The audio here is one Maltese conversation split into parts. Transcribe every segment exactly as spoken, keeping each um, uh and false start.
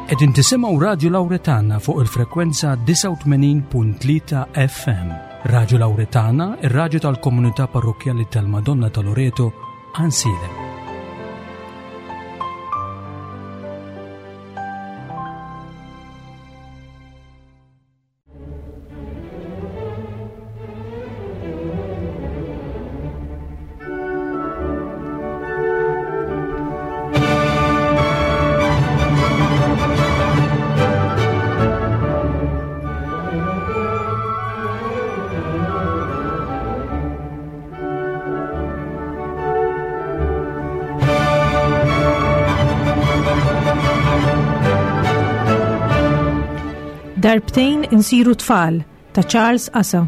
Qegħdin tisimgħu Radju Lawretana fuq il-frekwenza disgħa u tmenin punt tlieta F M. Radju Lawretana, ir-radju tal-komunità parrokkjali tal-Madonna ta' Loreto, Għajnsielem. Darbtejn insiru tfal ta' Charles Asa.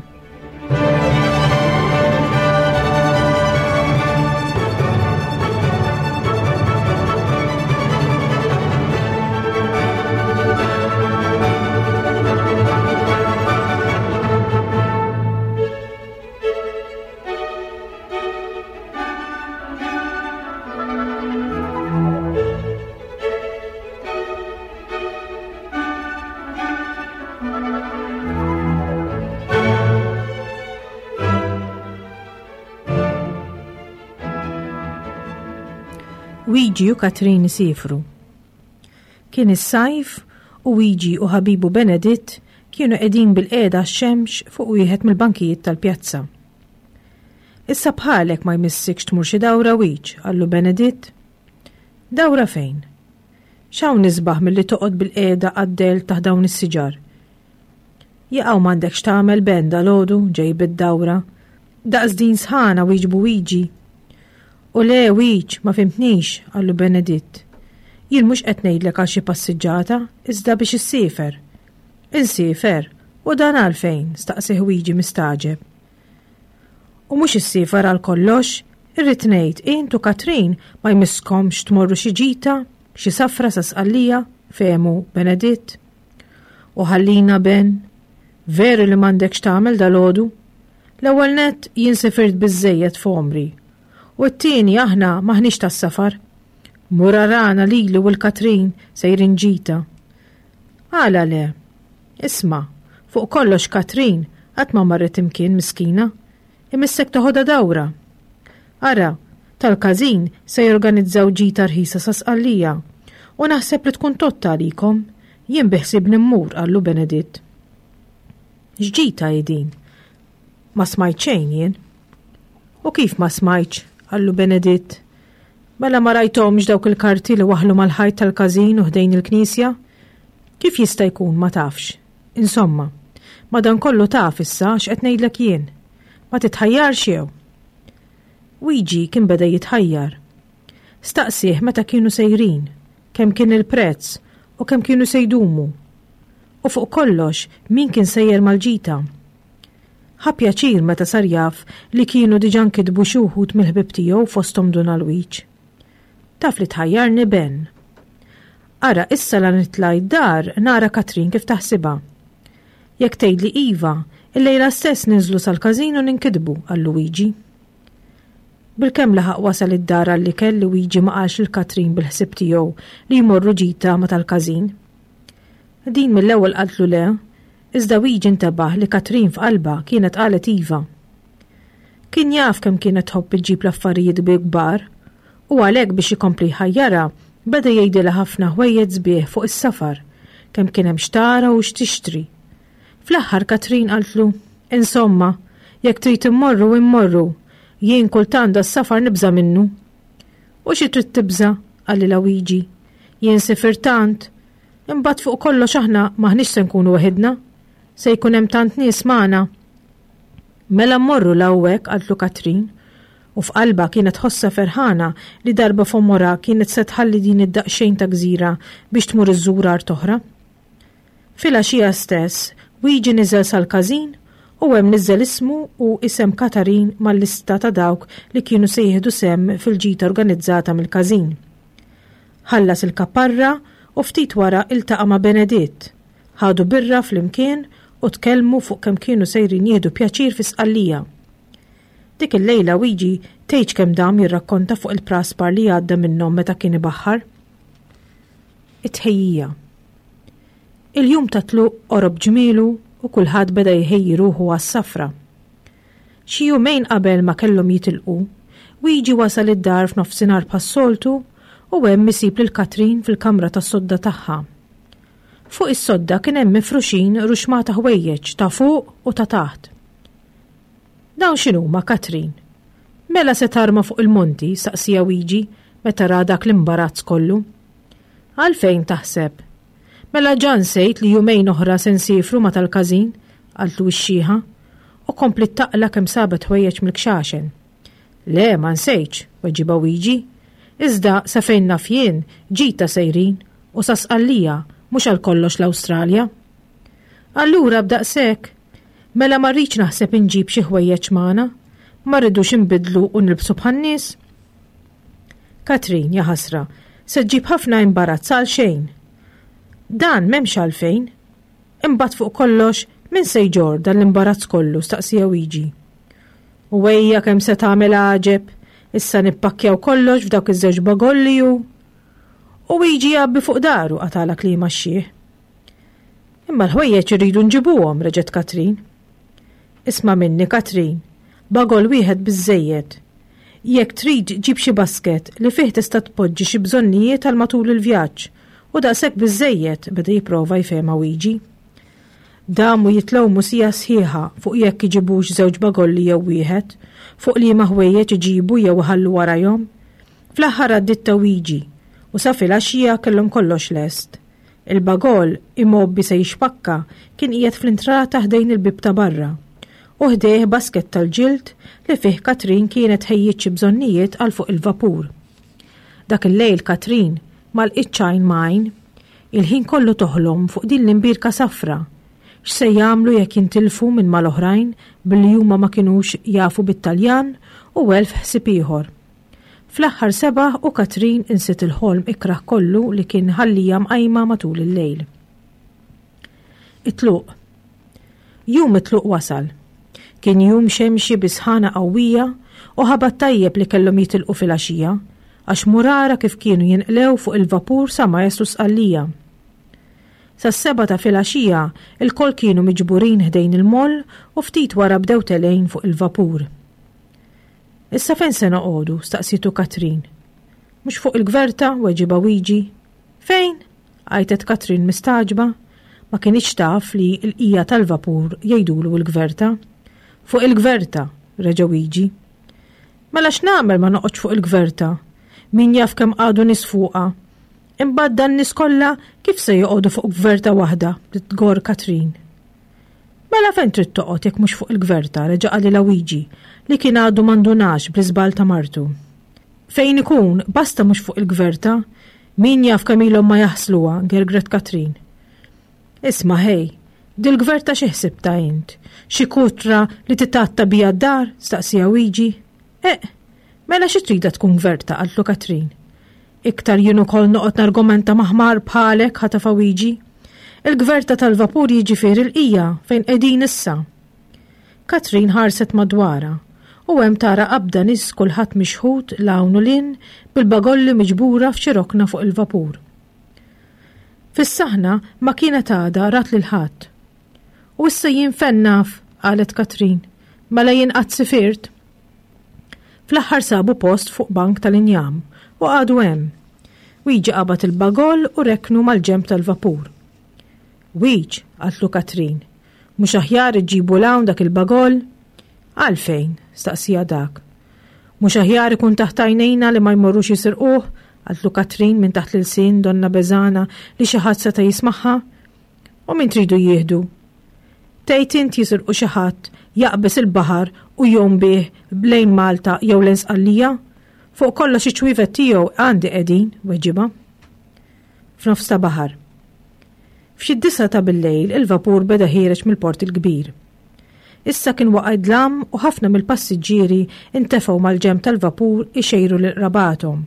Wiji u Katrin isifru. Kien is-sajf u Wiji u ħabibu Beneditt kienu qegħdin bil-qiegħda x-xemx fuq wieħed mill-bankijiet tal-pjazza. Issa bħalek ma jmissikx tmur xi dawra Wiġ, qallu Beneditt. Dawra fejn? X'hawn nisbaħ milli toqgħod bil-qiegħda għad-del taħt dawn is-siġar? Jaqgħu m'għandekx tagħmel Ben dalgħodu ġej bid-dawra. Daqs din sħana wieġbu Wiji. U le Wiġ, ma fimtnix, qallu Beneditt. Jien mhux qed ngħidlek għal xi passiġġata, iżda biex issiefer. Insiefer, u dan għalfejn, staqsih Wiji mistaġeb. U mhux issiefer għal kollox, irrid ngħid int u Katrin ma jmisskomx tmorru xi ġita, xi safra sa Sqallija, fehmu Beneditt. U ħallina Ben, veru li m'għandekx tagħmel dalgħodu? L-ewwel nett jien sifirt biżżejjed f'għomri. U t-tieni aħna maħniex tas-safar. Mur arana lili u l-Katrin sejrin ġita. Għala le? Isma', fuq kollox Katrin qatt ma marret imkien miskina. Imissek toħodha dawra. Ara, tal-każin se jorganizzaw ġita rħisa sa Sqallija. U naħseb li tkun totta għalikom. Jien biħsibni mmur, qallu Beneditt. X'ġita hi din? Ma smajt xejn jien. U kif ma smajtx? Qallu Beneditt. Mela ma rajthomx dawk il-karti li waħlu mal-ħajt tal-każin u ħdejn il-knisja? Kif jista' jkun ma tafx? Insomma, madankollu taf issa x'qed ngħidlek jien. Ma titħajjarx jew? Wiji kien beda jitħajjar. Staqsih meta kienu sejrin, kemm kien il-prezz u kemm kienu se jdumu. U fuq kollox, min kien sejjer mal-ġita? Ħa pjaċir meta sar jaf li kienu diġà nkitbu xi wħud mill-ħbieb tiegħu fosthom Dun Alwiġ. Taf li tħajjarni Ben. Ara issa la nitla' d-dar nara Katrin kif taħsibha. Jekk tgħidli iva, illejla stess ninżlu sal-każin u ninkitbu, qal Luigi. Bilkemm laħaq wasal id-dar għall-ikel li Luigi ma qalx lil Katrin bil-ħsieb tiegħu li jmorru ġita ma tal-każin. Din mill-ewwel qaltlu le, iżda Luigi intebaħ li Katrin f'qalbha kienet qalet iva. Kien jaf kemm kienet tħobb iġġib l-affarijiet bi kbar, u għalhekk biex ikompli jħajjarha beda jgħidilha ħafna ħwejjeġ sbieħ fuq is-safar, kemm kien hemm xtara u x'tixtri. Fl-aħħar Katrin qaltlu, Insomma, jekk trid immorru immorru, jien kultant das-safar nibża' minnu. U xi trid tibża'? Qalilha Luigi. Jien sifir tant, imbagħad fuq kollox aħna maħniex se nkunu waħidna, se jkun hemm tant nies magħna. Mela mmorru l-hawnhekk, qaltlu Katrin, u f'qalbha kienet ħossa ferħana li darba f'għomorha kienet se tħalli din id-daqsxejn ta' gżira biex tmur iżżur art oħra. Filgħaxija stess, Luigi niżel sal-każin u hemm niżel ismu u isem Katarin mal-lista ta' dawk li kienu se jieħdu sehem fil-ġita organizzata mill-każin. Ħallas il-kaparra u ftit wara iltaqa' ma' Beneditt. Ħadu birra flimkien u tkellmu fuq kemm kienu sejrin jieħdu pjaċir fi Sqallija. Dik il-lejla Luigi tgħidx kemm dam jirrakkonta fuq il-praspar li għadda minnhom meta kien ibaħħar. It-tħejjija. Il-jum ta' tluq qorob ġmielu u kulħadd beda jħejji ruħu għas-safra. Xi jumejn qabel ma kellhom jitilqu, Wiġi wasal id-dar f'nofsinhar bħas-soltu u hemm isib lil Katrin fil-kamra tas-sodda tagħha. Fuq is-sodda kien hemm mifruxin ruxmata ħwejjeġ ta' fuq u ta' taħt. Dawn x'inhuma, Katrin? Mela se tarma fuq il-monti, saqsieha Wiġi meta ra dak l-imbarazz kollu. Għalfejn taħseb? Mela ġa nsejt li jumejn oħra se nsifru ma' tal-każin, qaltlu x-xiħa, u kompliet taqla' kemm sabet ħwejjeġ mill-kxaxen. Le, ma nsejtx, weġibha Wiġi. Iżda sa fejn naf jien, ġita sejrin u sa Sqallija, mhux għal kollox l-Awstralja. Allura b'daqshekk, mela ma rridx naħseb inġib xi ħwejjeġ magħna, ma rridux inbidlu u nilbsu bħan-nies. Katrin, ja ħasra, se ġġib ħafna imbarazz għal xejn. Dan m'hemmx għalfejn. Imbagħad fuq kollox, min se jġorr dan l-imbarazz kollu, staqsieha Wiġi. U ejja kemm se tagħmel għaġeb, issa nippakkjaw kollox f'dawk iż-żewġ bagolli u U Wiġi jgħabbi fuq daru qatala klima x-xiħ. Imma l-ħwejjeġ irridu nġibuhom, reġgħet Katrin. Isma' minni, Katrin, bagol wieħed biżejjed. Jekk trid ġib xi basket li fih tista' tpoġġi xi bżonnijiet għal matul il-vjaġġ u daqshekk biżejjed beda jipprova jfehma Wiġi. Damu jitlewmu siegħa sħiħa fuq jekk iġibux żewġ bagolli jew wieħed, fuq liema ħwejjeġ iġibu jew iħallu warajhom. Fl-aħħar għaddiet ta' Wiġi u sa filgħaxija kellhom kollox lest. Il-bagol imgħobbi se jixpakka kien qiegħed fl-intrata ħdejn il-bieb ta' barra u ħdejh basket tal-ġild li fih Katrin kienet ħejjiet xi bżonnijiet għal fuq il-vapur. Dak il-lejl Katrin ma lqitx għajn m'għajn, il-ħin kollu toħlom fuq din l-imbierka safra. X'se jagħmlu jekk jintilfu minn mal-oħrajn billi huma ma kinux jafu bit-Taljan u elf ħsieb ieħor. Fl-aħħar sebaħ u Katrin insiet il-ħolm ikrah kollu li kien ħallija mqajma matul il-lejl. It-tluq. Jum it-tluq wasal. Kien jum xemxi bi sħana qawwija u ħabat tajjeb li kellhom jitilqu filgħaxija għax murara kif kienu jinqlew fuq il-vapur sa ma jaslu Sqallija. Sas-sebgħa ta' filgħaxija il-koll kienu miġburin ħdejn il-moll u ftit wara bdew telgħin fuq il-vapur. Issa fejn se noqogħdu? Staqsitu Katrin. Mhux fuq il-gverta, weġibha Wiġi. Fejn? Għajtet Katrin mistagħġba. Ma kinitx taf li l-qija tal-vapur jgħidulu l-gverta. Fuq il-gverta, reġa' Wiġi. Mela x'nagħmel ma noqgħodx fuq il-gverta? Min jaf kemm qagħdu nies fuqha. Imbagħad dan nies kollha kif se joqogħdu fuq gverta waħda, bdiet tgorr Katrin. Mela fejn trid toqgħod jekk mhux fuq il-gverta, reġa' qalilha Wiġi, li kien għadu m'indunax bl-iżball ta' martu. Fejn ikun, basta mhux fuq il-gverta, min jaf kemm ilhom ma jaħsluha, gergret Katrin. Isma' ħej, dil-gverta xi ħsibta int? Xi kutra li titatta bija d-dar? Staqsieha Wiġi. Eh, mela xi trida tkun gverta, qaltlu Katrin. Iktar jien ukoll noqgħod nargumenta maħmar bħalek, ħatafa Wiġi. Il-gverta tal-vapur jiġifieri l-qija fejn qegħdin issa. Katrin ħarset madwarha u hemm tara qabda nies kulħadd mixħut 'l hawn u 'l hinn bil-bagolli miġbura f'xi rokna fuq il-vapur. Fis-saħna ma kienet għadha rat lil ħadd. U issa jien fejn naf, qalet Katrin, mela jien qatt sifirt. Fl-aħħar sabu post fuq bank tal-injam u qagħdu hemm. Wiġi qabad il-bagol u reknu mal-ġenb tal-vapur. Wiġ, qaltlu Katrin, mhux aħjar iġibu 'l hawn dak il-bagol? Għalfejn, staqsieha dak. Mhux aħjar ikun taħt għajnejna li ma jmorrux jisirquh, qaltlu Katrin minn taħt l-ilsien donna beżana li xi ħadd seta' jismagħha. U min tridu jieħdu? Tgħid int jisirqu xi ħadd jaqbeż il-baħar u jgħum bih lejn Malta jew lejn Sqallija? Fuq kollox iċ-ċwievet tiegħu għandi qegħdin, weġibha. F'nofs ta' baħar. F'xi disgħa ta' bil-lejl il-vapur beda ħiereġ mill-port il-kbir. Issa kien waqa' dlam u ħafna mill-passiġġieri intefgħu mal-ġenb tal-vapur ixejru lil qrabathom.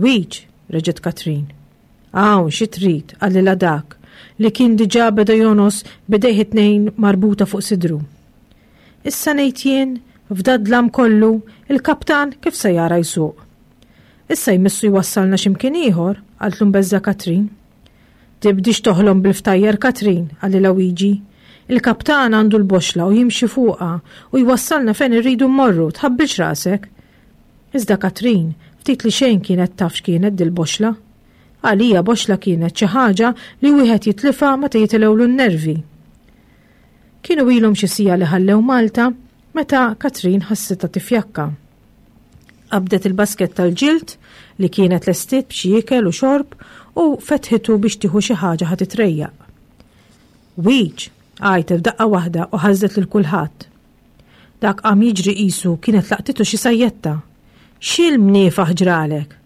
Wiġ, reġgħet Katrin. Hawn xi trid, qalilha dak li kien diġà beda jonos b'idejh it-tnejn marbuta fuq sidru. Issa ngħid jien, f'dad-dlam kollu, il-kaptan kif se jara jsuq? Issa jmissu jwassalna x'imkien ieħor, qaltlu mbeżża' Katrin. Tibdix toħlom bil-ftajjar Katrin, qalilha Wiġi. Il-kaptan għandu l-boxla u jimxi fuqha u jwassalna fejn irridu mmorru, tħabbilx rasek. Iżda Katrin, ftit li xejn kienet taf x'kienet dil-boxla. Għalija boxla kienet xi ħaġa li wieħed jitlifha meta jitilgħulu n-nervi. Kienu ilhom xi siegħa li ħallew Malta meta Katrin ħassitha tifjakka. Qabdet il-basket tal-ġild li kienet lestiet b'xi ikel u xorb u fetħitu biex tieħu xi ħaġa ħa titrejjaq. Wiġ, għajtet f'daqqa waħda u ħażdet lil kulħadd. Dak qam jiġri qisu kienet laqtitu xi sajjetta. X'il-mniefaħ ġralek?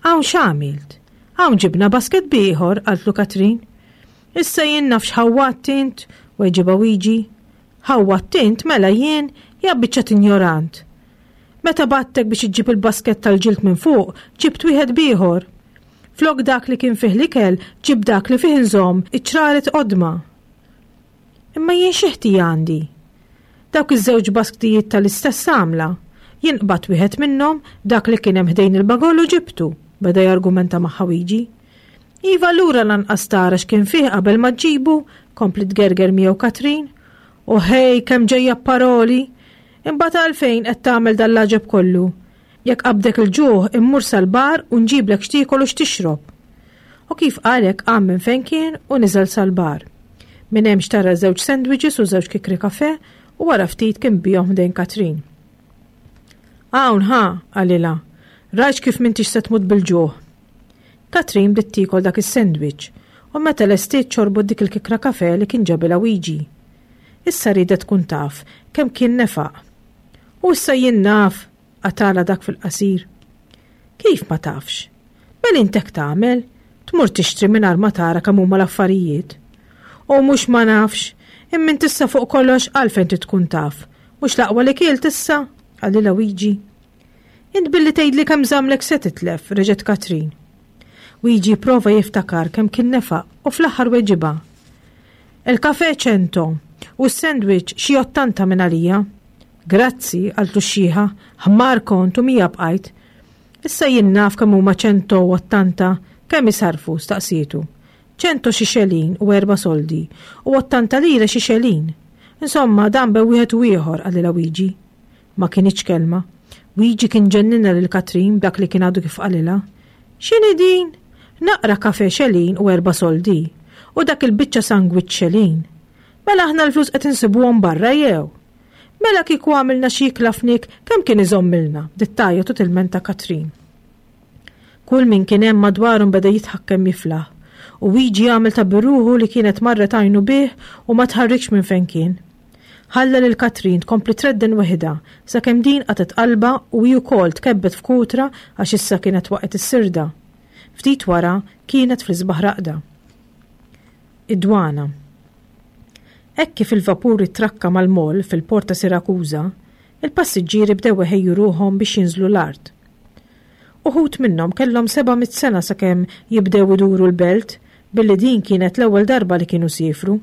Hawn x'għamilt? Hawn ġibna basket b'ieħor, qaltlu Katrin. Issa jien naf x'ħawwatt int, weġibha Wiġi. Ħawwatt int mela jien, ja biċċa injorant. Meta bgħattek biex iġġib il-basket tal-ġild minn fuq, ġibt wieħed b'ieħor. Flok dak li kien fih l-ikel, ġib dak li fih inżomm iċ-ċraret qodma. Imma jien xi ħtija għandi? Dawk iż-żewġ basktijiet tal-istess għamla. Jien qbadt wieħed minnhom, dak li kien hemm ħdejn il-bagollu ġibtu, beda jargumenta magħha Wiġi. Iva allura lanqas tara x'kien fih qabel ma ġġibu, kompliet tgerger miegħu Katrin. U ħej kemm ġejja paroli! Imbagħad għalfejn qed tagħmel dal-għaġeb kollu? Jekk qabdek il-ġuħ immur sal-bar u nġiblek x'tiekol u x'tixrob. U kif qalek qam minn fejn kien u niżel sal-bar. Minn hemm xtara żewġ sandwiches u żewġ kikri kafe u wara ftit kien bihom ħdejn Katrin. Hawn ħa, qalilha, rajt kif m'intix se tmut bil-ġuħ. Katrin bdiet tiekol dak is-sandwich u meta lestiet xorbot dik il-kikra kafe li kien ġabilha Wiġi. Issa riedet tkun taf kemm kien nefaq. U issa jien naf, qatala dak fil-qasir. Kif ma tafx? Mela int hekk tagħmel, tmur tixtri mingħajr ma tara kemm huma l-affarijiet. U mhux ma nafx, imma int issa fuq kollox għalfejn trid tkun taf. Mhux l-aqwa li kilt issa, qalilha Wiġi. Int billi tgħidli kemm żamlek se titlef, reġgħet Katrin. Wiġi prova jiftakar kemm kien nefaq u fl-aħħar weġibha. Il-kafe ċento u s-sandwich xi ottanta minn għalija. Grazzi, qaltlu x-xiħa, ħmar kont u mija bqajt. Issa jien naf kemm huma ċento u ottanta, kemm isarfu, staqsietu. Ċento xi xelin u erba' soldi u ottanta lira xi xelin. Insomma, dan bejn wieħed u ieħor, qalilha Wiġi. Ma kinitx kelma. Wiġi kien ġenninha lil Katrin b'dak li kien għadu kif qalilha. X'inhi din? Naqra kafe xelin u erba' soldi u dak il-biċċa sandwich xelin. Mela aħna l-flus qed insibuhom barra jew? Mela kieku għamilna xi ikla fnik kemm kien iżommilna, bdiet tgħajjat u tilmenta Katrin. Kull min kien hemm madwarhom beda jidħak kemm jiflaħ u Wiġi għamel ta' biruħu li kienet marret għajnu bih u ma tħarrikx minn fejn kien. Ħalla lil Katrin tkompli tredden weħidha sakemm din qatgħet qalbha u hi wkoll tkebbet f'kutra għax issa kienet waqgħet is-sirda. Ftit wara kienet fl-isbaħ raqda. Id-dwana. Hekk kif il-vapur trakka mal-mol fil-port ta' Sirakuża, il-passiġġieri bdew iħejju ruħhom biex jinżlu l-art. Uħud minnhom kellhom seba' mitt sena sakemm jibdew iduru l-belt billi din kienet l-ewwel darba li kienu siefru.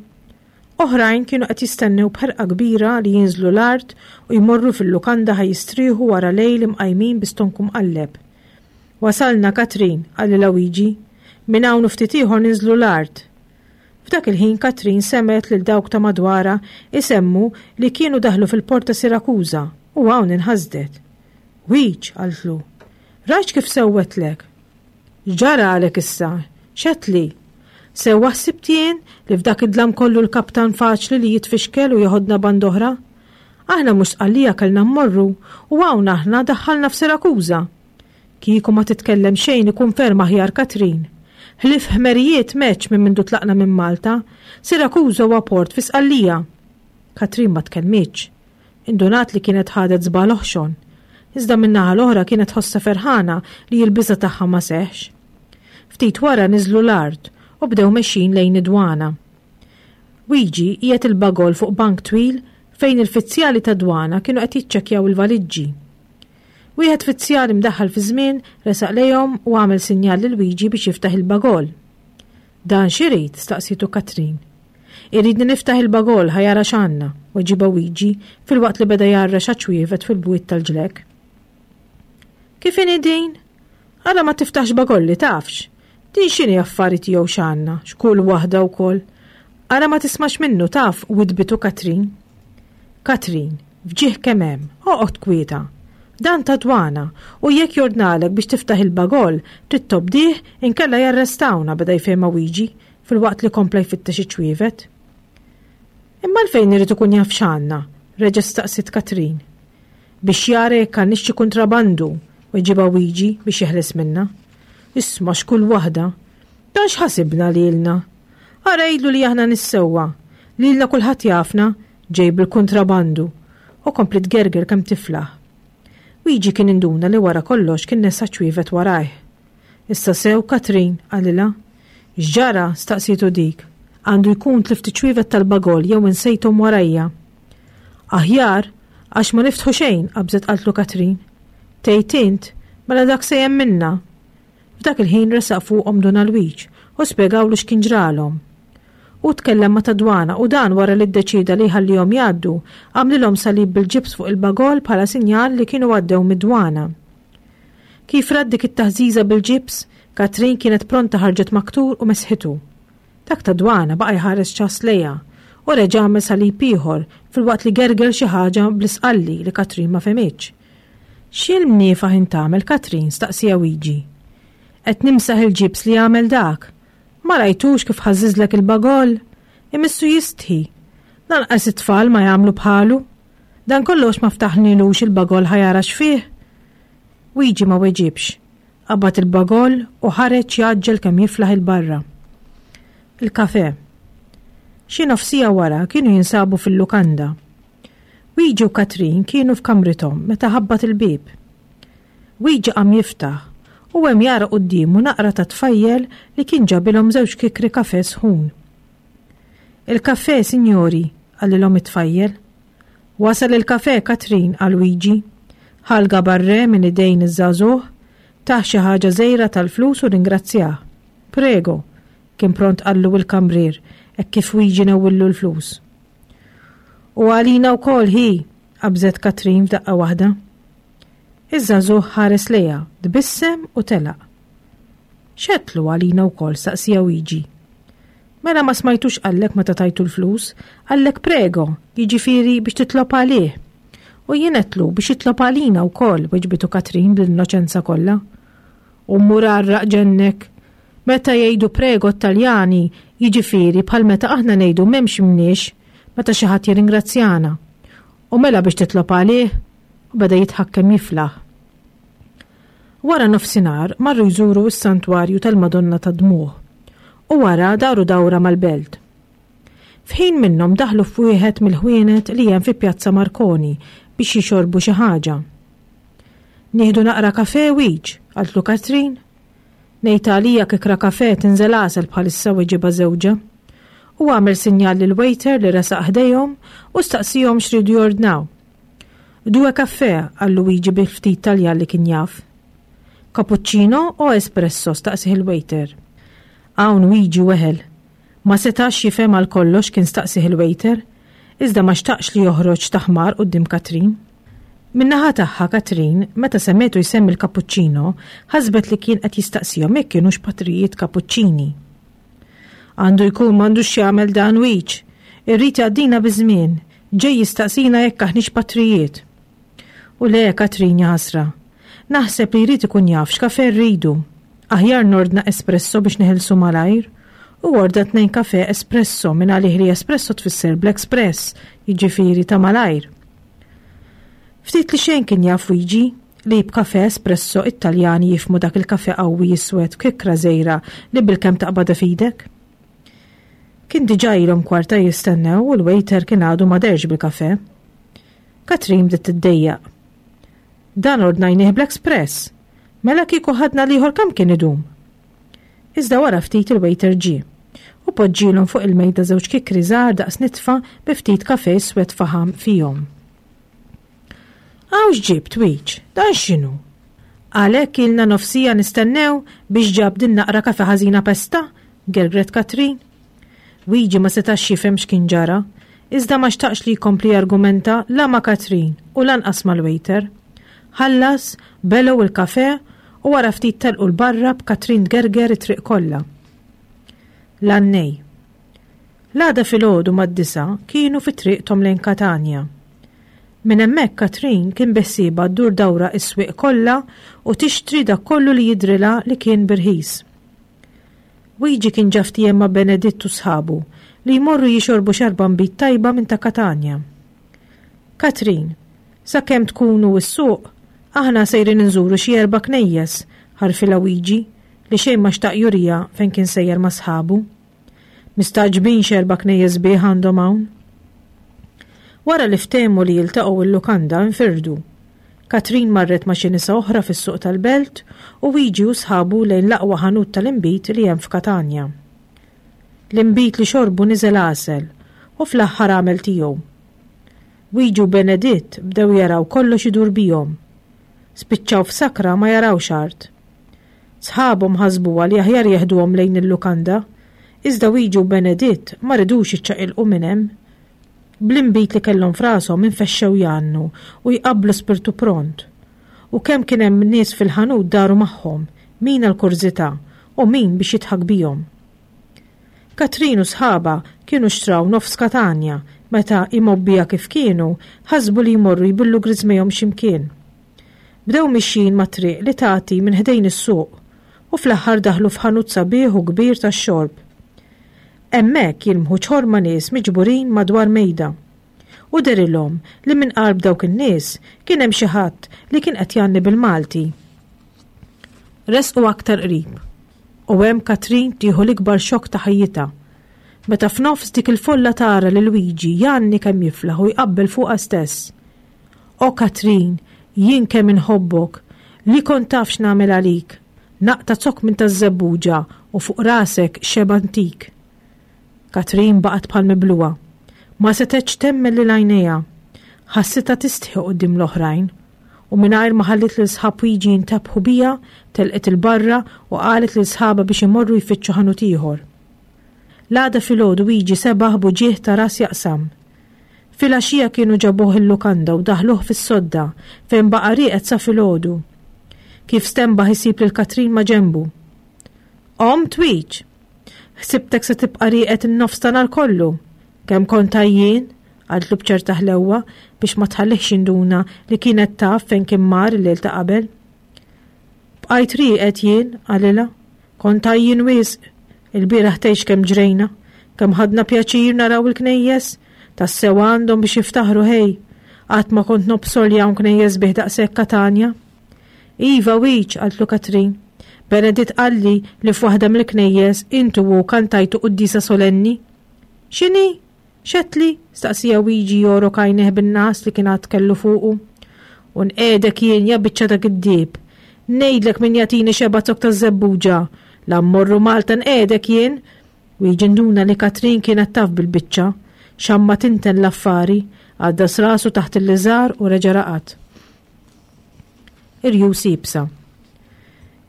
Oħrajn kienu qed jistennew b'ħerqa kbira li jinżlu l-art u jmorru fil-lukanda ħa jistrieħu wara lejl imqajmin bi stonku mqalleb. Wasalna Katrin, qalilha Wiġi, minn hawn u ftit ieħor ninżlu l-art. F'dak il-ħin Katrin semgħet lil dawk ta' madwarha isemmu li kienu daħlu fil-port ta' Sirakuża u hawn inħasdet. Wiġ, qaltlu, rajt kif sewwetlek. X'ġara għalek issa? X'għedtli? Sewwa ħsibt jien li f'dak id-dlam kollu l-kaptan faċli li jitfixkel u jeħodna band oħra? Aħna mhux Sqallija kellna mmorru u hawn aħna daħħalna f'Sirakuża. Kieku ma titkellem xejn ikun ferm aħjar Katrin. Ħlief ħmerijiet meċ minn mindu tlaqna minn Malta, Sirakuża huwa port fi Sqallija. Katrin ma tkellmitx. Indunat li kienet ħadet żball oħxon. Iżda min-naħa l-oħra kienet ħossa ferħana li l-biża' tagħha ma seħx. Ftit wara niżlu l-art u bdew mexjin lejn id-dwana. Wiġi qiegħed il-bagol fuq bank twil fejn il-fizzjali ta' dwana kienu qed jiċċekkjaw il-valiġġi. Wieħed fizzjali mdaħħal fi żmien resaq lejhom u għamel sinjal lil Wiġi biex jiftaħ il-bagol. Dan x'irid? Staqsitu Katrin. Iridni niftaħ il-bagol ħa jara x'għandna, weġibha Wiġi filwaqt li beda jgħarrex għaċ-ċwievet fil-bwiet tal-ġlek. Kif inhi din? Ara ma tiftaħx bagolli tafx. Din x'inhi affari tiegħu x'għandna, x'kull waħda wkoll. Ara ma tismax minnu taf, widbitu Katrin. Katrin, fġieħ kemm hemm, oqgħod kwieta. Dan ta' dwana u jekk jordnalek biex tiftaħ il-bagoll, trid tobdih inkella jarrestawna, beda jfehma Wiġi filwaqt li kompla jfittex iċ-ċwievet. Imma għalfejn irid ikun jaf x'għandna, reġa' staqsiet Katrin. Biex jara jekk għandniex xi kuntrabandu, weġibha Wiġi biex jeħles minnha. Isma' x'kull waħda. Dan x'ħasibna lilna? Ara għidlu li aħna nissewwa, lilna kulħadd jafna, ġej bil-kuntrabandu, u kompli tgerger kemm tiflaħ. Wiġi kien induna li wara kollox kien nesa ċwievet warajh. Issa sew, Katrin, qalilha. X'ġara? Staqsietu dik. Għandu jkun tlift ċwievet tal-bagoll jew insejthom warajja. Aħjar, għax ma niftħu xejn, qabżet qaltlu Katrin. Tgħid int, mela dak se minna. F'dak il-ħin resaq fuqhom Dun Alwiġ u spjegawlu x'kien ġralhom. U tkellem ma' tad-dwana u dan wara li ddeċida li jħallihom jgħaddu, għamlilhom salib bil-ġibs fuq il-bagoll bħala sinjal li kienu għaddew mid-dwana. Kif rat dik it-taħżiża bil-ġibs, Katrin kienet pronta ħarġet maktur u mesħitu. Dak tad-dwana baqa' jħares ċas lejha u reġa' għamel salib ieħor filwaqt li gerger xi ħaġa bl-isqalli li Katrin ma fehmitx. X'il-mniefaħ int tagħmel, Katrin? Staqsija Wiġi. Qed nimsaħ il-ġibs li għamel dak. Ma rajtux kif ħażiżlek il-bagoll? Imissu jistħi. Lanqas it-tfal ma jagħmlu bħalu. Dan kollox ma ftaħnilux il-bagoll ħa jara x'fih. Wiġi ma weġibx. Qabad il-bagoll u ħareġ jgħaġġel kemm jiflaħ il-barra. Il-kafe. Xi nofsija wara kienu jinsabu fil-lukanda. Wiġi u Katrin kienu f'kamrithom meta ħabbat il-bieb. Wiġi qam jiftaħ u hemm jara quddiemu naqra ta' tfajjel li kien ġabilhom żewġ kikri kafe sħun. Il-kafe, sinjori, qalilhom it-tfajjel. Wasal il-kafe, Katrin, qal Wiġi. Ħa l-gabarre minn idejn iż-żagħżugħ, tah xi ħaġa żgħira tal-flus u ringrazzjah. Prego, kien pront qallu il-kamrier, hekk kif Wiġi newwillu l-flus. U għalina wkoll hi, qabżet Katrin f'daqqa waħda. Iż-żagħżugħ ħares lejha, tbissem u telaq. X'għedtlu għalina wkoll, staqsija Wiġi. Mela ma smajtux qallek meta tajtu l-flus, qallek prego, jiġifieri biex titlob għalih. U jien għedtlu biex jitlob għalina wkoll, weġbitu Katrin bl-innoċenza kollha. U mur għarraq ġennek. Meta jgħidu prego t-Taljani, jiġifieri bħal meta aħna ngħidu m'hemmx mniex, meta xi ħadd jirringrazzjana. U mela biex titlob għalih, u beda jidħak kemm jiflaħ. Wara nofsinhar marru jżuru s-santwarju tal-Madonna tad-Dmugħ u wara daru dawra mal-belt. F'ħin minnhom daħlu f'wieħed mill-ħwienet li hemm fi Pjazza Marconi biex jixorbu xi ħaġa. Nieħdu naqra kafe Wiġ, qaltlu Katrin. Ngħid għalija kikra kafe tinżel għasel bħalissa weġibha żewġha. U għamel sinjal lil waiter li resaq ħdejhom u staqsihom x'ridu jordnaw. Due caffè, qallu Wiġi bil-ftit Taljan li kien jaf. Cappuccino o espresso, staqsih il-waiter. Hawn Wiġi weħel. Ma setax jifhem għal kollox kien staqsih il-waiter, iżda ma xtaqx li joħroġ taħmar quddiem Katrin. Min-naħa tagħha Katrin, meta semgħetu jsemmi l-cappuccino, ħasbet li kien qed jistaqsihom jekk kienux patrijiet kapuċċini. Għandu jkun m'għandux jagħmel dan Wiġ. Irrid jgħaddina biż-żmien, ġej jistaqsina jekk aħniex patrijiet. U le, Katrin ħasra. Naħseb li jrid ikun jaf x'kafe rridu. Aħjar nordna espresso biex neħilsu malajr. U orda tnejn kafe espresso minn għalih li espresso tfisser bl-express, jiġifieri ta' malajr. Ftit li xejn kien jaf Wiġi li b'kafe espresso it-Taljani jifhmu dak il-kafe qawwi jiswed kikra żgħira li bilkemm taqbadha f'idek. Kien diġà ilhom kwarta jistennew u l-waiter kien għadu ma dehrx bil-kafe. Katrin bdiet tiddejjaq. Dan ordnajnieh bl-express. Mela kieku ħadna l-ieħor kemm kien idum. Iżda wara ftit il-waiter ġie u poġġielhom fuq il-mejda żewġ kikri żgħar daqs nitfa bi ftit kafe swed faħam fihom. Hawn x'ġibt Wiġ, dan x'inhu? Għalhekk ilna nofsija nistennew biex ġab din naqra kafe ħażina pesta, gergret Katrin. Wiġi ma setax jifhem x'kien ġara, iżda ma xtaqx li jkompli argumenta la ma' Katrin u lanqas mal-waiter. Ħallas, belgħu il-kafe U wara ftit telqu 'l barra b'Katrin tgerger it-triq kollha. L-għannej. L-għada filgħodu mad-disgħa kienu fi triqthom lejn Katanja. Minn hemmhekk Katrin kien beħsiebha ddur dawra s-swieq kollha u tixtri dak kollu li jidhrilha li kien b'irħis. Wiġi kien ġa ftiehem ma' Beneditt u sħabu li jmorru jixorbu xarba nbid tajba minn ta' Katanja. Katrin, sakemm tkunu s-suq, aħna sejrin inżuru xi erba' knejjes, ħarfilha Wiġi li xejn ma xtaq juriha fejn kien sejjer ma' sħabu. Mistagħġbin x'erba' knejjes sbieħ għandhom hawn. Wara li ftehmu li jiltaqgħu il-lukanda nfirdu. Katrin marret ma' xi nisa oħra fis-suq tal-belt u Wiġi u sħabu lejn l-aqwa ħanut tal-inbid li hemm f'Katanja. L-inbid li xorbu niżel għasel u fl-aħħar għamel tiegħu. Wiġi u Beneditt bdew jaraw kollox idur bihom. Spiċċaw f'sakra ma jarawx art. Sħabhom ħasbuha li aħjar jeħduhom lejn il-lukanda, iżda Wiġi u Beneditt ma ridux jiċċaqilqu minn hemm. Bl-inbid li kellhom f'rashom infexxew jgħannu u jqabblu spirtu pront. U kemm kien hemm nies fil-ħanut daru magħhom, min għall-kurżità u min biex jidħak bihom. Katrin u sħabha kienu xtraw nofs Katanja meta imgħobbija kif kienu ħasbu li jmorru jbillu griżmejhom x'imkien. Bdew mixjin mat-triq li tagħti minn ħdejn is-suq u fl-aħħar daħlu f'ħanut sabiħ u kbir tax-xorb. Hemmhekk jilmħu ċorma nies miġburin madwar mejda. U dehrilhom li minn qalb dawk in-nies kien hemm xi ħadd li kien qed jgħanni bil-Malti. Resqu aktar qrib. U hemm Katrin tieħu l-ikbar xokk ta' ħajjitha. Meta f'nofs dik il-folla tara lil Wiġi jgħanni kemm jiflaħ u jqabbel fuqha stess. O Katrin, jien kemm inħobbok, li kont taf x'nagħmel għalik. Naqta' zokk minn taż-żebbuġa u fuq rasek xebgħa ntik. Katrin baqgħet bħal mibluha. Ma setgħetx temmen lil għajnejha. Ħassitha tistħi quddiem l-oħrajn. U mingħajr ma ħallit lil sħab Wiġi jintebħu biha, telqet 'il barra u qalet lil sħabha biex imorru jfittxu ħanut ieħor. L-għada filgħodu Wiġi sebaħ b'uġigħ ta' ras jaqsam. Filgħaxija kienu ġabuh il-lukanda u daħluh fis-sodda fejn baqa' rieqed sa filgħodu. Kif stenbaħ isib lil Katrin ma' ġenbu. Qomt Wiġ! Ħsibtek se tibqa' rieqed in-nofs ta' nhar kollu. Kemm kont għajjien? Qaltlu b'ċerta ħlewwa biex ma tħallihx jinduna li kienet taf fejn kien mar il-lejl ta' qabel. Bqajt rieqed jien, qalilha. Kont għajjien wisq. Il-bieraħ tgħidx kemm ġrejna, kemm ħadna pjaċir naraw il-knejjes, tassew għandhom biex jiftaħru ħej. Qatt ma kont nobsor li hawn knejjes bih daqshekk Katanja. Iva Wiġ, qaltlu Katrin. Beneditt qalli li f'waħda mill-knejjes intu u kantajtu quddiesa solenni. X'inhi? X'għedtli? Staqsieha Wiġi jogħrok għajnejh bin-ngħas li kien għad kellu fuqu. U nqiegħdek jien ja biċċa ta' giddieb. Ngħidlek min jagħtini xebgħa zokk taż-żebbuġa. La mmorru Malta nqiegħdek jien. Wiġi nduna li Katrin kienet taf bil-biċċa. Xamma tinten l-affari, għaddas rasu taħt il-liżar u reġa' raqad. Irjus iebsa.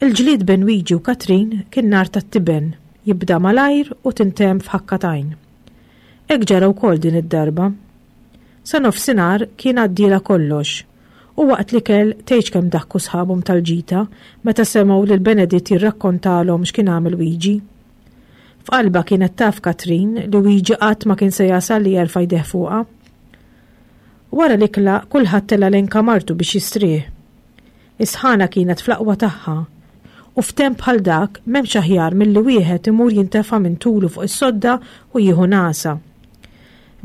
Il-ġlied bejn Wiġi u Katrin kien nar tat-tiben, jibda malajr u tintemm f'ħakka t'għajn. Hekk ġara wkoll din id-darba. Sa nofsinhar kien għaddielha kollox, u waqt l-ikel tgħidx kemm daħku sħabhom tal-ġita meta semgħu lil Beneditt jirrakkontalhom x'kien għamel Wiġi. F'qalbha kienet taf Katrin li Wiġi qatt ma kien se jasal li jerfa' jdejh fuqha. Wara l-ikla kulħadd tela' lejn kamartu biex jistrieħ. Is-sħana kienet fl-aqwa tagħha u f'temp bħal dak m'hemmx aħjar milli wieħed imur jintefa' minn tulu fuq is-sodda u jieħu nagħsa.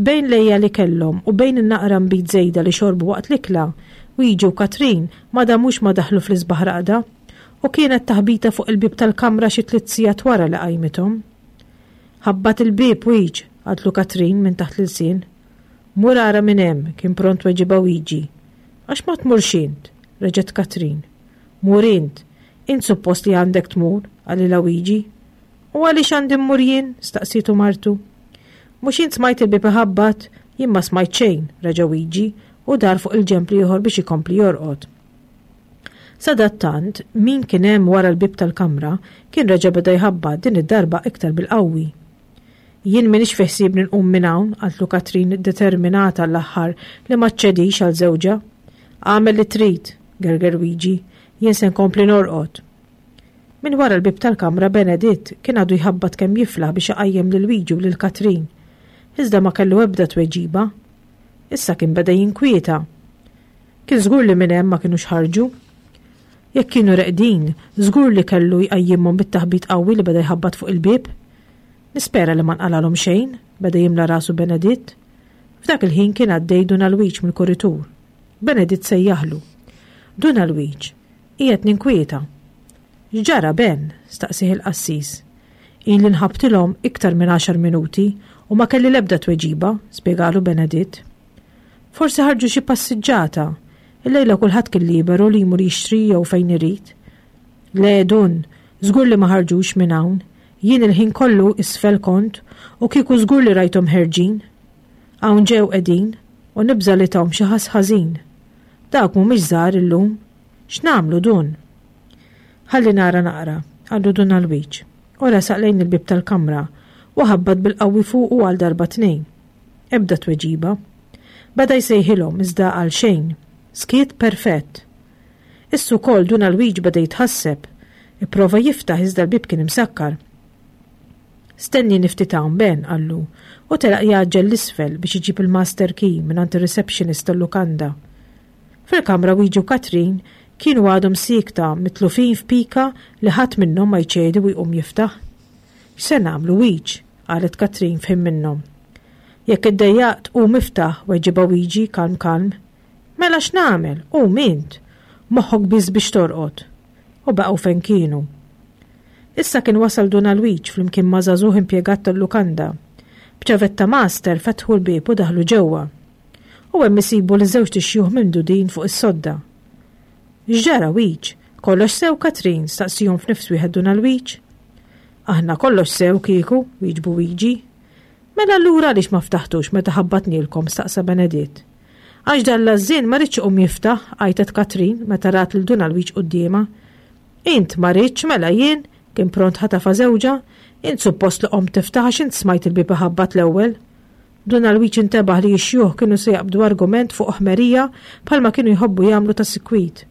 Bejn l-għeja li kellhom u bejn in-naqra nbid żejda li xorbu waqt l-ikla, Wiġi u Katrin ma damux ma daħlu fl-isbaħ raqda u kienet taħbita fuq il-bieb tal-kamra xi tliet sigħat wara li qajmithom. Ħabbat il-bieb Wiġ, qaltlu Katrin minn taħt l-ilsien. Mur ara minn hemm, kien pront weġibha Wiġi. Għax ma tmurx int, reġgħet Katrin. Mur int, int suppost li għandek tmur, qalilha Wiġi. U għaliex għandi mmur jien? Staqsietu martu. Mhux int smajt il-bieb iħabbat, jien ma smajt xejn, reġa' Wiġi u dar fuq il-ġenb l-ieħor biex ikompli jorqod. Sadattant, min kien hemm wara l-bieb tal-kamra kien reġa' beda jħabbat din id-darba iktar bil-qawwi. Jien m'iniex fi ħsiebni nqum minn hawn, qaltlu Katrin determinata l-aħħar li ma ċċedix għal żewġha. Agħmel li trid, gerger Wiġi, Jien se nkompli norqod. Minn wara l-bieb tal-kamra Beneditt kien għadu jħabbat kemm jiflaħ biex iqajjem lil Wiġi u lil Katrin. Iżda ma kellu ebda tweġiba. Issa kien beda jinkwieta. Kien żgur li minn hemm ma kinux ħarġu. Jekk kienu reqdin, żgur li kellu jqajjimhom bit-taħbit qawwi li beda jħabbat fuq il-bieb. Nispera li ma nqalalhom xejn, beda jimla rasu Beneditt. F'dak il-ħin kien għaddej Dun Alwiġ mill-kuritur. Beneditt sejjaħlu. Dun Alwiġ, qiegħed ninkwieta. X'ġara Ben? staqsih il-qassis. Ili nħabbtilhom iktar minn għaxar minuti u ma kelli l-ebda tweġiba, spjegalu Beneditt. Forsi ħarġu xi passiġġata. Illejla kulħadd kien liberu li jmur jixtri jew fejn irid. Le Dun, żgur li ma ħarġux minn hawn. Jien il-ħin kollu isfel kont u kieku żgur li rajthom ħerġin. Hawn ġew qegħdin u nibża' li tahom xi ħass ħażin. Dawk mhumiex żgħar illum. X'nagħmlu Dun? Ħalli nara naqra, qallu Dun Alwiġ. U resaq lejn il-bieb tal-kamra u ħabbat bil-qawwi fuqu għal darba tnejn. Ebda tweġiba. Beda jsejħilhom iżda għal xejn. Skiet perfett. Issa wkoll Dun Alwiġ beda jitħasseb. Ipprova jiftaħ iżda l-bieb kien imsakkar. Stennini ftit hawn Ben, qallu, u telaq jgħaġġel 'l isfel biex iġib il-master key minn ir-receptionist tal-lukanda. Fil-kamra Wiġi u Katrin kienu għadhom siekta mitlufin f'pika li ħadd minnhom ma jċedi u jqum jiftaħ. X'se nagħmlu Wiġ? qalet Katrin f'ħin minnhom. Jekk iddejjaqt qum iftaħ, weġibha Wiġi kalm kalm. Mela x'nagħmel? Qum int. Moħħok biss biex torqod. U baqgħu fejn kienu. Issa kien wasal Dun Alwiġ flimkien ma' żagħżugħ impjegat tal-lukanda. B'ċavetta master fetħu l-bieb u daħlu ġewwa. U hemm isibu li żewġt ixjuħ mimdudin fuq is-sodda. X'ġara Wiġ? Kollox sew Katrin, staqsihom f'nifs wieħed Dun Alwiġ. Aħna kollox sew kieku, wieġbu Wiġi. Mela allura għaliex ma ftaħtux meta ħabbatnielkom, staqsa Beneditt. Għax dan l-għażżien ma ridx iqum jiftaħ, għajtet Katrin meta rat lil Dun Alwiġ quddiemha. Int ma ridx mela jien, kien pront ħatafa żewġha, int suppost li qomt tiftaħ għax int smajt il-bieb iħabbat l-ewwel. Dun Alwiġ intebaħ li x-xjuħ kienu se jaqbdu argument fuq ħmerija bħalma kienu jħobbu jagħmlu ta' sikwit.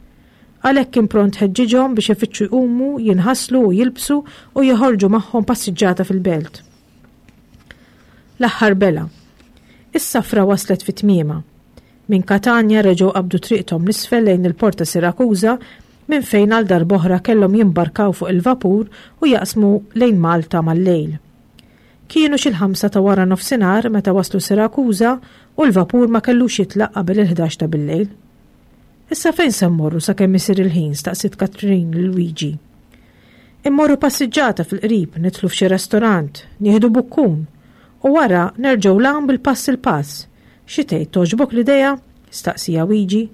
Għalhekk kien pront ħeġġiġhom biex ifittxu jqumu, jinħaslu u jilbsu u joħorġu magħhom passiġġata fil-belt. L-aħħar bela. Is-safra waslet fi tmiemha. Minn Katanja reġgħu qabdu triqthom 'l isfel lejn il-Porta Sirakuża minn fejn għal darb'oħra kellhom jimbarkaw fuq il-vapur u jaqsmu lejn Malta mal-lejl. Kienu xi l-ħamsa ta' wara nofsinhar meta waslu Sirakuża u l-vapur ma kellux jitlaq qabel il-ħdax ta' billejl. Issa fejn se mmorru sakemm isir il-ħin staqsiet Katrin lil Wiġi. Immorru passiġġata fil-qrib, nidħlu f'xi restorant, nieħdu bukkun u wara nerġgħu 'l hawn bil-pass il-pass. Xi tgħid togħġbok l-idea? Staqsieha Wiġi.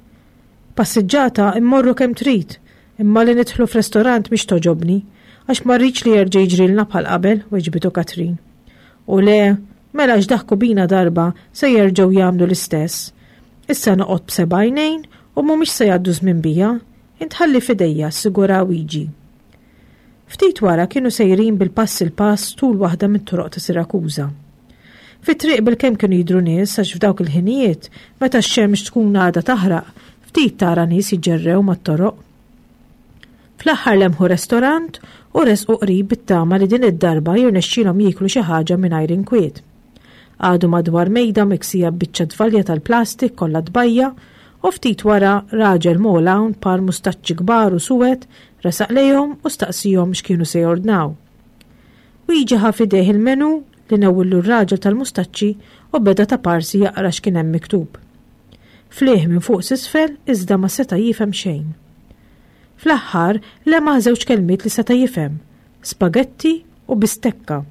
Passiġġata immorru kemm trid, imma li nidħlu f'restorant mhix togħġobni, għax ma rridx li jerġa' jiġrilna bħal qabel, weġbitu Katrin. U le, mela x'daħku bina darba se jerġgħu jagħmlu l-istess. Issa noqgħod b'seba' għajnejn u mhumiex se jgħaddu żmien bija, int ħalli f'idejja, assigura Wiġi. Ftit wara kienu sejrin bil-pass il-pass tul waħda mit-toroq ta' Sirakuża. Fit-triq bil-kemm kienu jidhru nies għax f'dawk il-ħinijiet, meta x-xemx tkun għadha taħraq, ftit tara nies jiġġerrew mat-toroq. Fl-aħħar lemħu restorant u resqu qrib bit-tama li din id-darba jirnexxilhom jieklu xi ħaġa mingħajr inkwiet. Qagħdu madwar mejda miksija b'biċċa tvalja tal-plastik kollha tbajja u ftit wara raġel m'għol hawn par mustaċċi kbar u suwed resaq lejhom u staqsihom x'kienu se jordnaw. Wiġi ħa f'idejh il-menu li newwillu r-raġel tal-mustaċċi u beda ta' parsi jaqra x'kien hemm miktub. Flieh minn fuq s'isfel iżda ma seta' jifhem xejn. Fl-aħħar lemaħ żewġ kelmiet li seta' jifhem, spagetti u bistekka.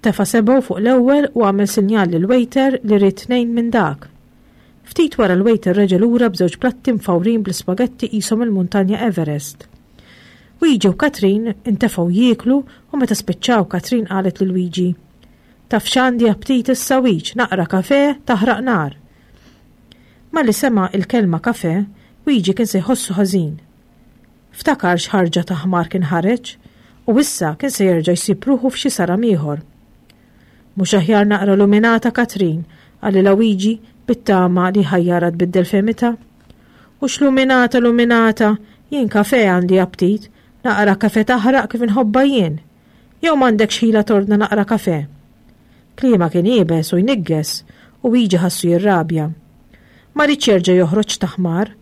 Tefa' sebgħu fuq l-ewwel u għamel sinjal lill-waiter li ried tnejn minn dak. Ftit wara l-waiter reġa' lura b'żewġ platti mfawrin bl-ispagetti qishom il-muntanja Everest. Wiġi u Katrin intefgħu jieklu u meta spiċċaw Katrin qalet lil Wiġi, Taf x'għandi aptit issa Wiġ, naqra kafè taħraq nar. Malli sema' il-kelma kafè, Wiġi kien se jħossu ħażin. Ftakar x'ħarġa ta' ħmar kien ħareġ u issa kien se jerġa' jsib ruħu f'xi saram ieħor. Mhux aħjar naqra luminata Katrin, qalilha Wiġi bit-tama li ħajjara tbiddel fehmitha. U x'luminata luminata, Jien kafè għandi aptit, naqra kafè taħraq kif inħobbha jien. Jew m'għandekx ħila tordna naqra kafè? Kliemha kien iebes u jniggeż u Wiġi ħassu jirrabja. Ma riedx jerġa' joħroġ ta' ħmar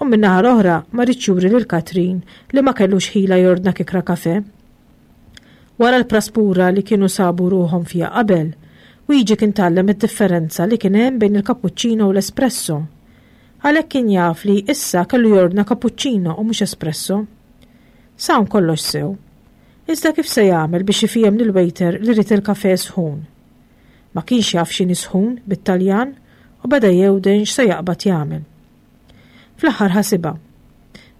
u min-naħa l-oħra ma riedx juri lil Katrin li ma kellux ħila jordna kikra kafè. Wara l-praspura li kienu sabu ruħhom fiha qabel, Wiġi kien tgħallem id-differenza li kien hemm bejn il-cappuccino u l-espresso. Għalhekk kien jaf li issa kellu jordna cappuccino u mhux espresso. S'hawn kollox sew. Iżda kif se jagħmel biex ifiehem lill-waiter li ried il-kafè sħun? Ma kienx jaf x'inhi sħun bit-Taljan u beda jewden x'se jaqbad jagħmel. Fl-aħħar ħasibha.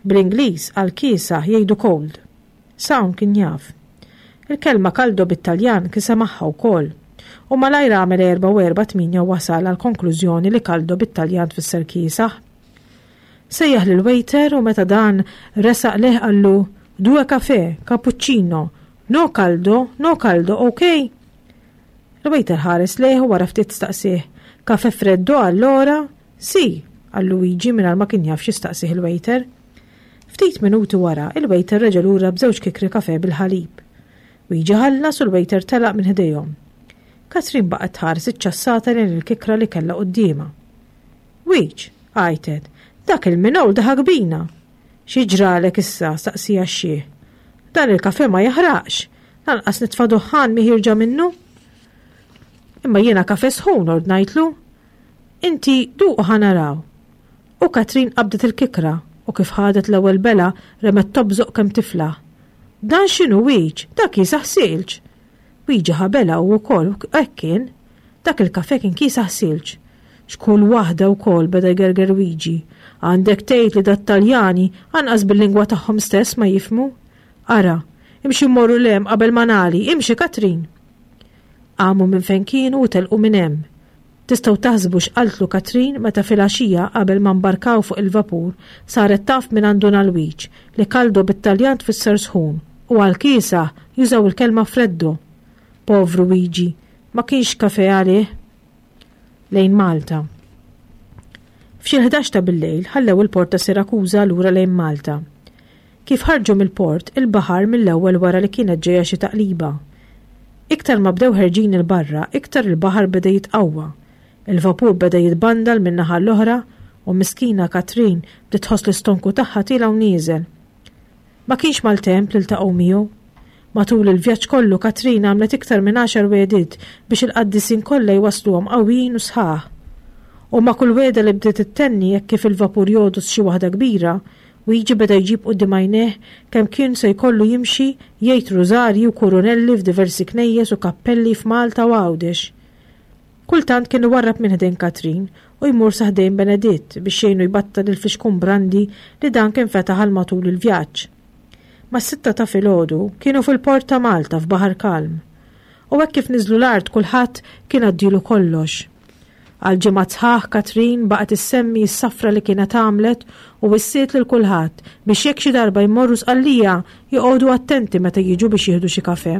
Bl-Ingliż għal kiesaħ jgħidu cold. S'hawn kien jaf. Il-kelma caldo bit-Taljan kien semagħha wkoll. U malajr għamel erba' u erba' tmienja u wasal għal konklużjoni li caldo bit-Taljan tfisser kiesaħ. Sejjaħ lil waiter u meta dan resaq lejh qallu due caffè, cappuccino, no caldo, no caldo, ok? Il-waiter ħares lejh u wara ftit staqsih, caffè freddo allora? Sì, qallu Luigi mingħajr ma kien jaf x'jistaqsih il-waiter. Ftit minuti wara, il-waiter reġa' lura b'żewġ kikri kafè bil-ħalib. Luigi ħallas u l-waiter telaq minn ħdejhom. Katrin baqgħet tħares iċċassata lejn il-kikra li kellha quddiemha. Wiġ, għajtet, dak il-minol daħak bina. Xi ġralek issa, staqsieha x-xiħ. Dan il-kafè ma jaħraqx, lanqas nitfa' duħħan mi ħierġa minnu. Imma jiena kafè sħun ordnajtlu. Inti duqu ħa naraw. U Katrin qabdet il-kikra u kif ħadet l-ewwel bela remet tobżoq kemm tiflaħ. Dan x'inhu Wiġ, dak kiesaħ silġ. Wiġi ħabela u wkoll hekk kien. Dak il-kafè kien kiesaħ silġ. X'kull waħda wkoll beda jgerger Wiġi. Għandek tgħid li dat-Taljani anqas bil-lingwa tagħhom stess ma jifhmu. Ara, imxi mmorru 'l hemm qabel ma nagħli, imxi Katrin. Qamu minn fejn kienu u telqu minn hemm. Tistgħu taħsbu x'qaltlu Katrin meta filgħaxija qabel ma mbarkaw fuq il-vapur saret taf minn għandu Nalwiġ li caldo bit-Taljan tfisser sħun u għal kiesaħ jużaw il-kelma freddo. Povru Wiġi, ma kienx kafè għalih. Lejn Malta. F'xi ħdax ta' bil-lejl ħallew il-port ta' Sirakuża lura lejn Malta. Kif ħarġu mill-port, il-baħar mill-ewwel wara li kienet ġejja xi taqliba. Iktar ma bdew ħerġin il-barra, iktar il-baħar beda jitqawwa. Il-vapur beda jitbandal minn naħa l-oħra u miskina Katrin bdiet tħoss l-istonku tagħha tiela' u nieżel. Ma kienx maltemp li ltaqgħu miegħu. Matul il-vjaġġ kollu Katrin għamlet iktar minn għaxar wegħdiet biex il-qaddisin kollha jwasluhom qawwijin u sħaħ. U ma' kull wegħda li bdiet ittenni hekk kif il-vapur jogħdos xi waħda kbira, Wiġi beda jġib quddiem għajnejh kemm kien se jkollu jimxi jgħid rużarji u kurunelli f'diversi knejjes u kappelli f'Malta u Għawdex. Kultant kien iwarrab minn ħdejn Katrin u jmur sa ħdejn Beneditt biex jgħinu jbattal il-fixkun brandi li dan kien fetaħ għal matul il-vjaġġ. Mas-sitta ta' filgħodu kienu fil-port ta' Malta f'baħar kalm. U hekk kif niżlu l-art kulħadd kien għaddilu kollox. Għal ġimgħa sħaħ Katrin baqgħet issemmi s-safra li kienet għamlet u wissiet lil kulħadd biex jekk xi darba jmorru Sqallija joqogħdu attenti meta jiġu biex jieħdu xi kafè.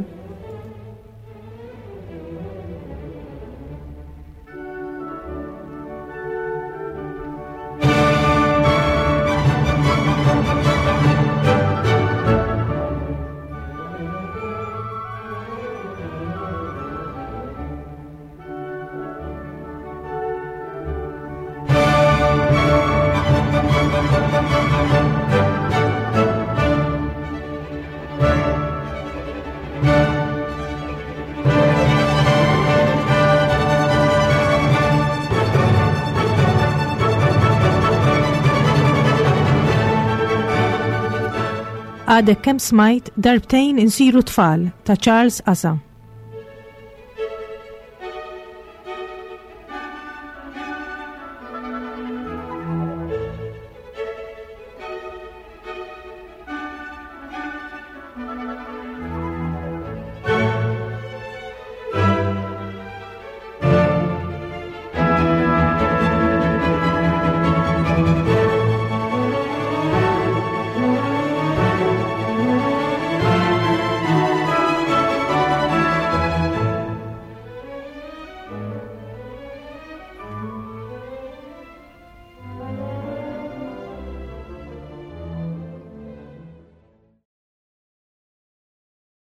Għadek kemm smajt Darbtejn insiru tfal ta' Charles Asa.